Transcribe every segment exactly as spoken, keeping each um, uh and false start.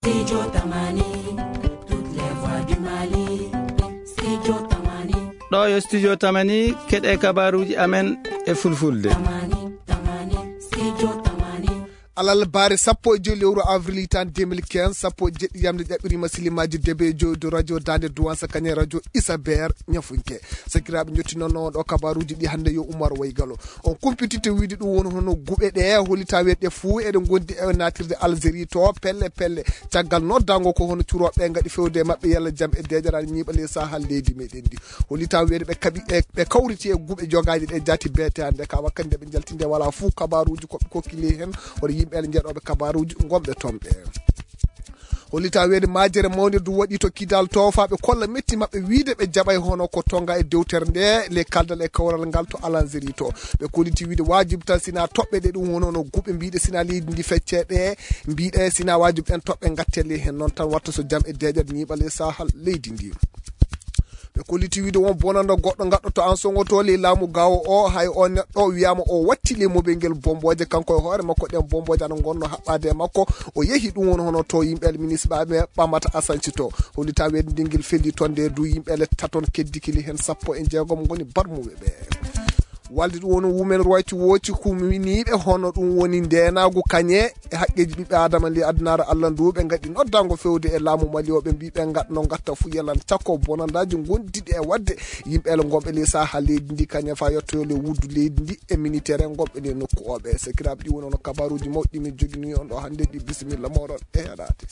Studio Tamani, toutes les voix du Mali. Studio Tamani. Ɗo yo Studio Tamani, keɗe kabaruji amen e fulfulde. Tamani, Tamani, Studio Tamani. Alal baare sappo e joyi lewru avril tan deux mille quinze, sappo e jeɗɗi yamde ƴaɓɓirima silimaji debe e joyi do radio Dande Duwansa kanye radio Isaber Ñafunke. Sakiraaɓe, jottinoono ɗo kabaruuji ɗi hannde yo Umar Waygalo. On kumpititto wiide ɗum woni hono guɓe ɗe holita weɗɗe fuu eɗe ngondi e natirde Algérie to pelle pelle. Caggal noddango ko hono curooɓe ngaɗi fewde e maɓɓe yalla jam e deeƴaral ñiiɓa ley sahal leydi meɗen ndi. Holita weede ɓe kaɓi, e, ɓe kawriti e guɓe jogaaji ɗe jaati beete hannde ka wakkati nde ɓe jaltinde wala fuu kabaruuji ko ɓe kokki ley hen hono yimɓe njeɗooɓe kabaruuji ngonɓe toon ɓe. Hollita weede majere mawnde du waɗi to Kidal to fa ɓe kolla metti maɓɓe wiide ɓe jaɓay hono ko tonga e dewtere nde le kaldal e kawral ngal to Alanzeri to. Ɓe kolliti wiide wajibi tan sina toɓɓe ɗe ɗum hono no guɓe mbiɗe sina leydi ndi fecce ɗe mbiɗe sina wajibi ɗen toɓɓe gatte le hen noon tan watta so jam e deeƴat ñiiɓal e sahal leydi ndi. Ɓe kolliti wiide won bonanda goɗɗo gaɗɗo to an songoto ley laamu gawo o hay o neɗɗo wiyama o watti ley mobel ngel bomboje kanko e hoore makko ɗen bomboje ana gonno haɓɓade e makko. O yehi ɗum woni hono to yimɓe ministre ɓaɓe ɓamata asanci to hollita weede ndingel felli toon nde du yimɓe le taton keddikili hen sappo e jeegom goni barmuɓe ɓe. Walde ɗum woni women rights watch kuminiɓe hono ɗum woni ndenagu kañe e haqqeji ɓiɓɓe adama ley adunaaru allah ndu ɓe gaɗi noddango fewde e laamu mali o ɓe mbi ɓe gaɗno gatta fu yalan cakko bonandaji gondiɗi e wadde yimɓe ele gonɓe ley saha leydi ndi kañe fa yettoyo le wuddu leydi ndi e minitere gonɓe le nokku oɓe. Sakiraɓe, ɗi woni ono kabaruji mawɗi min jogini on ɗo hannde ɗi. Bisimilla moɗon e heɗade.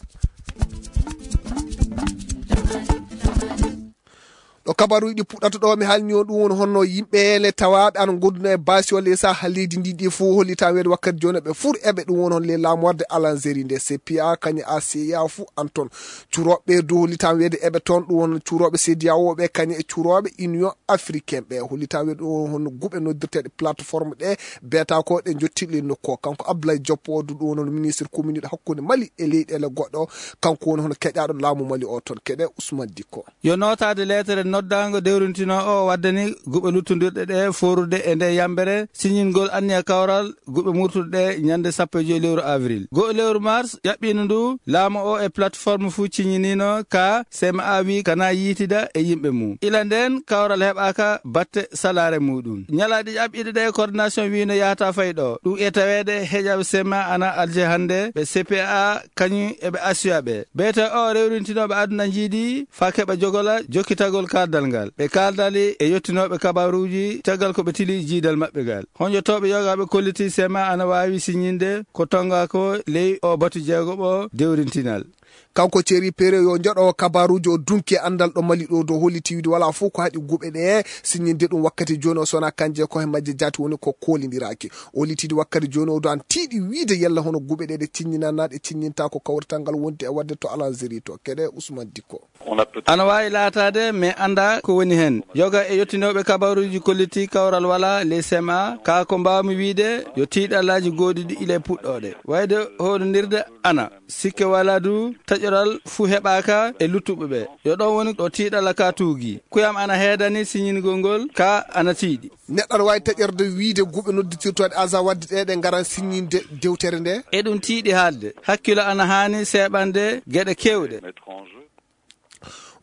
Ɗo kabaruji ɗi puɗɗata ɗo mi halni on ɗum woni honno yimɓe le tawaɓe ana gonduno e basi o lesa ha leydi ndi ɗi fof hollita weede wakkati joni ɓe fur eɓe ɗum woni hon le lamorde alanzeri nde cpa kañe acia fu an toon curoɓe du hollita weede eɓe toon ɗum won curoɓe cediaoɓe kañe e curoɓe union africain ɓe hollita weede ɗum woni honno guɓe noddirteɗe plateforme ɗe beta ko ɗe jottili nokku o kanko abdoulaye joppo o du ɗum woni ministre communiɗo hakkude mali e leyɗele goɗɗo kanko woni hono keƴaɗo laamu mali o toon keɗe ousmane dikko. Yo nootaade leetere noddaango dewrintinoo o waddani guɓe luttondirɗe ɗe foorude e nde yambere siñingol anniya kawral guɓe murtuɗe ɗe ñande sappo e joyi lewru avril. Go'o lewru mars ƴaɓɓiino ndu laamu o e plateforme fuu ciñiniino ka C M A wii kana yiitida e yimɓe mum. Ila ndeen kawral heɓaaka batte salaare muuɗum. Ñalaaɗe ƴaɓɓiiɗe ɗe coordination wiino yahata fay ɗo. Ɗum e taweede heƴaɓe C M A ana alje hannde ɓe C P A kañum e ɓe asiya ɓe. Beete o rewrintinooɓe aduna njiidi faa keɓa jogola jokkitagol kaaldal ngal. Ɓe kaaldali e yottinooɓe kabaruuji caggal ko ɓe tili jiidal maɓɓe ngal. Honƴotooɓe yoga ɓe kolliti C M A ana waawi siñinde ko tonga ko ley o batu jeegoɓo dewrintinal. Kanko Thierry Perret yo joɗo kabaruuji o dunki e andal ɗo mali ɗo dow holliti wiide wala fof ko haɗi guɓe ɗe siñinde ɗum wakkati joni o sona kanje ko he majje jaati woni ko kolidiraaki. O litidi wakkati joni o do an tiiɗi wiide yalla hono guɓe ɗe ɗe ciññinana ɗe ciññinta ko kawrital ngal wonde e wadde to alanzeri to keɗe ousmane dikko. Ana waawi laataade mais annda ko woni heen yoga e yottinooɓe kabaruuji kolliti kawral wala ley C M A ka ko mbaawmi wiide yo tiiɗallaaji gooɗiɗi ila e puɗɗooɗe wayde hoɗondirde ana sikke wala du taƴoral fuu heɓaaka e luttuɓe ɓe. Yo ɗon woni ɗo tiiɗalla ka tuugi kuyam ana heedani siñingol ngol ka ana tiiɗi. Neɗɗo aɗa waawi taƴorde wiide guɓe nodditirtooɗe aza wadde ɗe ɗe ngaran siññinde dewtere nde. Eɗum tiiɗi haalde hakkilo ana haani seeɓande geɗe keewɗe.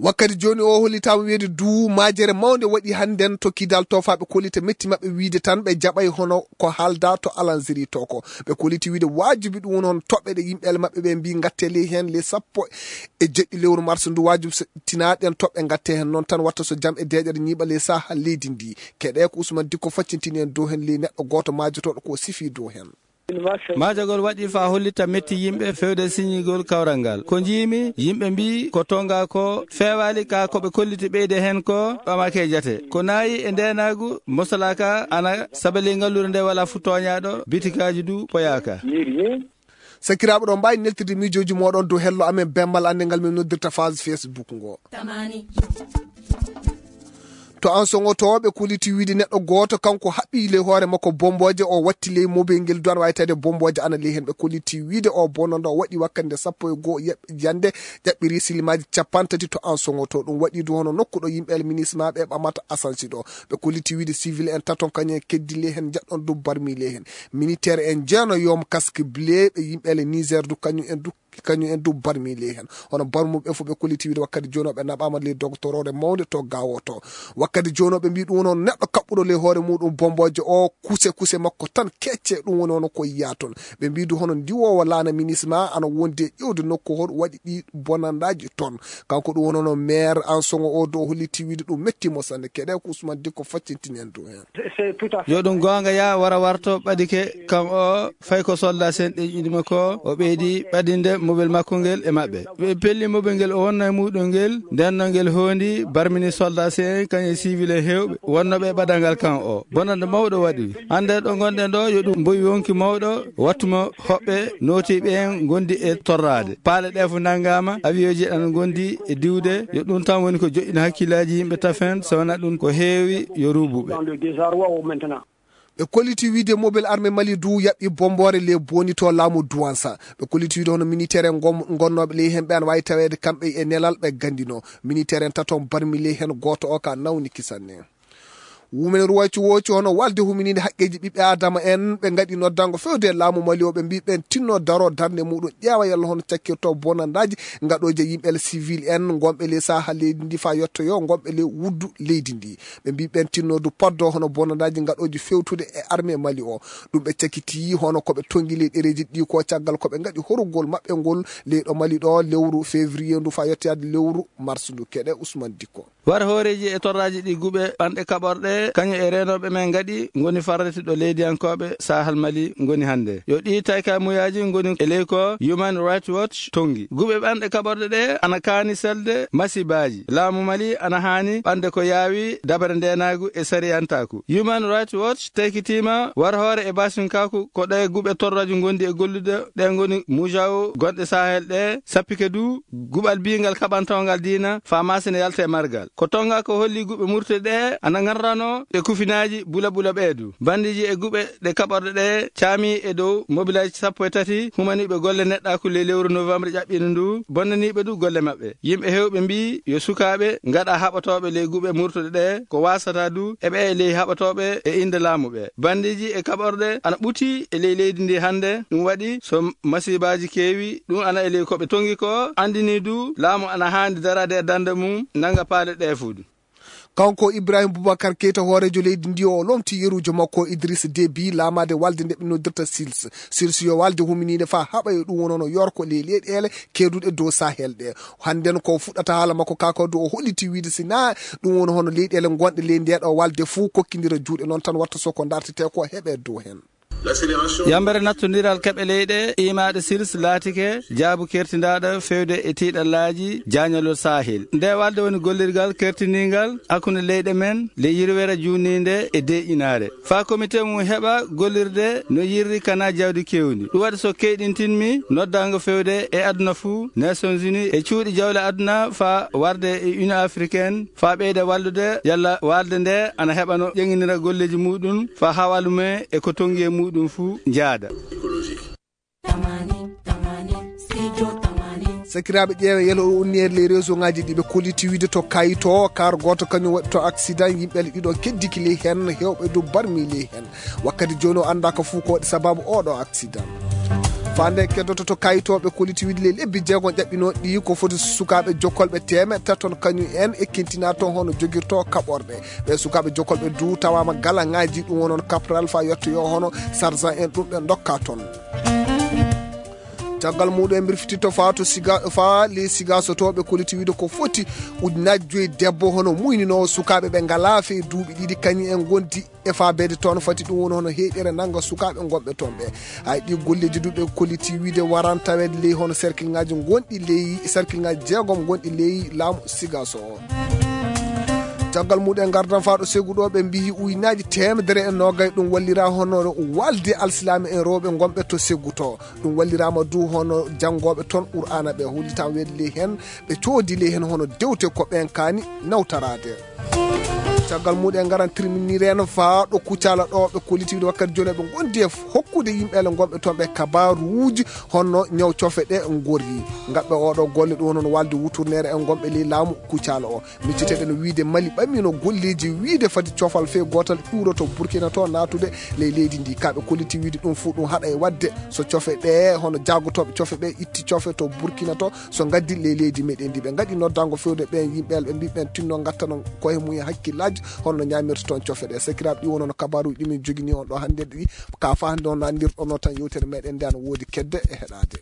Wakkati joni o hollitama wiide du majere mawnde waɗi hannden to kidal to fa ɓe kollita metti maɓɓe wiide tan ɓe jaɓay hono ko haalda to alanzeri to ko ɓe kolliti wiide wajibi ɗum woni hon toɓɓe ɗe yimɓele maɓɓe ɓe mbi gatte ley hen ley sappo e jeɗɗi lewru mars ndu wajibi so tinaɗen toɓɓe gatte hen noon tan watta so jam e deƴere ñiiɓa ley saha leydi ndi keɗe ko ousmane dikko faccintini en dow hen ley neɗɗo goto majotoɗo ko sifi dow hen. Maajagol waɗi faa hollita metti yimɓe fewde siñigol kawral ngal. Ko njiimi, yimɓe mbii ko tonga ko feewaali ka ko ɓe kolliti ɓeyde heen ko ɓamake jate. Ko naayi e ndeenaagu mosalaaka ana sabali ngalluure nde wala fu tooñaaɗo, bitikaaji du poyaaka. Sakiraaɓe ɗo mbaawi neltirde miijooji mooɗon dow hello amen bemmal annde ngal min noddirta phase Facebook ngo. To an soŋotooɓe kuliti wiide neɗɗo gooto kanko haɓɓi ley hoore makko bombooje o watti ley mobel ngel duwan waytade bombooje ana ley heen ɓe kuliti wiide o bononda o waɗi wakkande sappo e goo yande ƴaɓɓiri silimaaji capanɗe tati to an soŋoto ɗum waɗi du hono nokku ɗo yimɓe alminisma ɓe ɓamata asansi ɗo ɓe kuliti wiide civil en taton kañum en keddi ley heen jaɗɗon du barmi ley heen militaire en jeeno yom casque bleu ɓe yimɓe ale niger du kañum en du kañum en du barmi ley heen. Hono barmuɓe fof ɓe kolliti wiide wakkati jooni o ɓe naɓaama ley dogotoroore mawnde to Gaawo to. Wakkati jooni o ɓe mbii ɗum noon neɗɗo kaɓɓuɗo ley hoore muɗum bombooje o kuse kuse makko tan kecce ɗum woni hono ko yiya toon. Ɓe mbii du hono ndiwoowo laana minisma ana wondi e ƴeewde nokku hoɗo waɗi ɗi bonandaaji toon. Kanko ɗum woni hono maire Ansoŋo o do o holliti wiide ɗum metti mo sanne. Keɗe ko Ousmane Dikko faccintini en du heen. Yo ɗum goonga ya wara warto ɓadike kam o fay ko soldat sen ɗeƴƴinima ko o ɓeydi ɓadinde mobel makko ngel e maɓɓe. Ɓe pelli mobel ngel o wonno e muɗum ngel ndenno ngel hoondi barmini soldat sen kañum e civil en heewɓe wonnoɓe e ɓadal ngal kan o. Bonande mawɗo waɗi. Hannde ɗo ngonɗen ɗo yo ɗum mboyi wonki mawɗo wattumo hoɓɓe nootiiɓe en ngondi e torraade. Paale ɗe fof nanngaama, avion ji ana ngondi e diwde. Yo ɗum tan woni ko joƴƴina hakkillaaji yimɓe tafen, so wonaa ɗum ko heewi yo ruubuɓe. Ɓe kolliti wiide mobile armée Mali du yaɓɓi bomboore le boni to laamu Duwansa. Ɓe kolliti wiide hono militaire en gom-, gonnooɓe ley heen ɓe ana waawi taweede kamɓe e nelal ɓe gandino. Militaire en tato barmi ley heen gooto o ka nawni kisanne. Women Rights Watch hono walde humininde haqqeeji ɓiɓɓe Aadama en, ɓe ngaɗi noddango fewde e laamu Mali o, ɓe mbii ɓeen tinno daro darnde muɗum, ƴeewa yalla hono cakkirto bonandaaji ngaɗooji e yimɓe civil en ngonɓe ley saha leydi ndi faa yettoyo ngonɓe ley wuddu leydi ndi. Ɓe mbii ɓeen tinno du poddo hono bonandaaji ngaɗooji fewtude e armée Mali o. Ɗum ɓe cakkiti hono ko ɓe tongi ley ɗereeji ɗi ko caggal ko ɓe ngaɗi horugol maɓɓe ngol ley ɗo Mali ɗo lewru février ndu faa yettoyaade lewru mars ndu. Keɗe Ousmane Dikko. War hooreeji e torraaji ɗi guɓe ɓanɗe kaɓorɗe, kañum e reenooɓe men ngaɗi ngoni farrete ɗo leydiyankooɓe Sahel Mali ngoni hannde. Yo ɗi taykamuyaaji ngoni e ley ko Human Rights Watch tongi. Guɓe ɓanɗe kaɓorɗe ɗe ana kaani selde masibaaji. Laamu Mali ana haani ɓande ko yaawi dabare ndeenaagu e sariyantaaku. Human Rights Watch taykitiima war hoore e basinkaaku ko ɗe guɓe torraaji ngondi e gollude ɗe ngoni mujawo gonɗe Sahel ɗe sappike du guɓal biingal kaɓantongal diina faa maasina yalta e margal. Ko tonga ko holli guɓe murte ɗe ana ngarrano e kufinaaji bula bula ɓeedu. Bandiiji e guɓe ɗe kaɓorɗe ɗe caami e dow mobilaaji sappo e tati humaniiɓe golle neɗɗaaku ley lewru novembre ƴaɓɓiino ndu bonnaniiɓe du golle maɓɓe. Yimɓe heewɓe mbii yo sukaaɓe ngaɗa haɓotooɓe ley guɓe murtuɗe ɗe ko waasata du eɓe e ley haɓotooɓe e innde laamu ɓe. Bandiiji e kaɓorɗe ana ɓuti e ley leydi ndi hannde. Ɗum waɗi so masiibaaji keewi, ɗum ana e ley ko ɓe tongi ko, anndini du laamu ana haandi daraade e darnde mum, nannga paale ɗe fuu. Kanko Ibrahim Boubacar Keita, hooreejo leydi ndi, o lomti yeruujo makko Idriss Déby laamaade walde nde ɓe noddirta sils. Sils yo walde huminiinde faa haɓa e ɗum woni hono yorko ley leyɗeele keeduɗe dow Sahel ɗe. Hannden ko fuɗɗata haala makko kaa ko du o holliti wiide si naa ɗum woni hono leyɗeele gonɗe ley ndee ɗo walde fuu kokkindira juuɗe, noon tan watta so ko dartetee ko heɓee dow heen. Yambere nattondiral keɓe leyɗe iimaaɗe sils laatike jaabu kertindaaɗo fewde e tiiɗallaaji jaañalol Sahel. Nde walde woni gollirgal kertindingal hakkunde leyɗe men le yirwere juunniinde e deeƴinaare. Faa komite mum heɓa gollirde no yirri kana jawdi kewndi. Ɗum waɗi so keyɗintinmi noddaango fewde e aduna fuu, Nations Unies e cuuɗi jawle aduna faa warde e Union Africaine, faa ɓeyda wallude yalla walde nde ana heɓa no ƴeŋinira golleeji muɗum faa hawaalu mum e ko tongi e muɗum fuu njaada. Sakiraaɓe, ƴeewe yelo o unni e ley réseau ngaji ɗi ɓe kolliti wiide to Kayito, kar gooto kañum waɗi to accident, yimɓe ɗiɗo keddiki ley heen, heewɓe du barmi ley heen. Wakkati jooni o anndaaka fuu ko waɗi sababu oo ɗoo accident. Faa nde keddoto to Kayito, ɓe kolliti wiide ley lebbi jeegom ƴaɓɓinooɗi ɗi ko foti sukaaɓe jokkolɓe teemeɗɗe taton kañum en e kintinaa toon hono jogirto kaɓorɗe. Ɓe sukaaɓe jokkolɓe du tawaama gala ngaji ɗum wonon kapral faa yettoyo hono sarsan en ɗum ɓe ndokka toon. Caggal muɗum en mbirfititto faa to Siga, faa ley Sigaso to ɓe kolliti wiide ko foti ujunnaaji joyi debbo hono muyninoowo sukaaɓe ɓe ngalaa fee duuɓi ɗiɗi kañum en ngondi e faabeede toon fati ɗum woni hono heyɗere nannga sukaaɓe ngonɓe toon ɓe. Hay ɗi golleeji du ɓe kolliti wiide waran taweede ley hono cercle ngaji ngonɗi ley cercle ngaji jeegom ngonɗi ley laamu Sigaso o. Caggal muɗum en ngardan faa ɗo Segu ɗo ɓe mbiyi ujunnaaji teemedere e noogay ɗum wallira hono walde alsilaame en rewɓe ngonɓe to Segu to. Ɗum walliraama du hono janngooɓe toon Qur'aana ɓe hollitaa weedu ley heen, ɓe coodi ley heen hono dewte ko ɓeen kaani nawtaraade. Caggal muɗum en ngaran tirminireen faa ɗo Kucala ɗo ɓe kolliti wiide wakkati jooni ɓe ngondi e hokku hokkude yimɓeele gonɓe toon ɓe kabaaruuji honno ñaw cofe ɗe ngorri. Ngaɓɓe oɗo golle ɗum noon walde wuturneere e gonɓe ley laamu kucala o. Micciteɗen wiide Mali ɓamino golleeji wiide fadi cofal fee gootal ƴuuroto Burkina to naatude ley leydi ndi. Kaɓe kolliti wiide ɗum fuu ɗum haɗa e waɗde so cofe ɗe hono jaagotooɓe cofe ɓe itti cofe to Burkina to so ngaddi ley leydi meɗen ndi. Ɓe ngaɗi noddango fewde ɓen yimɓe ɓe mbi ɓen tinno ngattano koye mum e hakkillaaji honno ñaamirta toon cofe ɗe. Sakiraaɓe ɗi wonono kabaaruuji ɗi min jogini on ɗo hannde ɗi ka fa hannde on nandirɗono tan yewtere meɗen nde ana woodi kedde e heɗaade.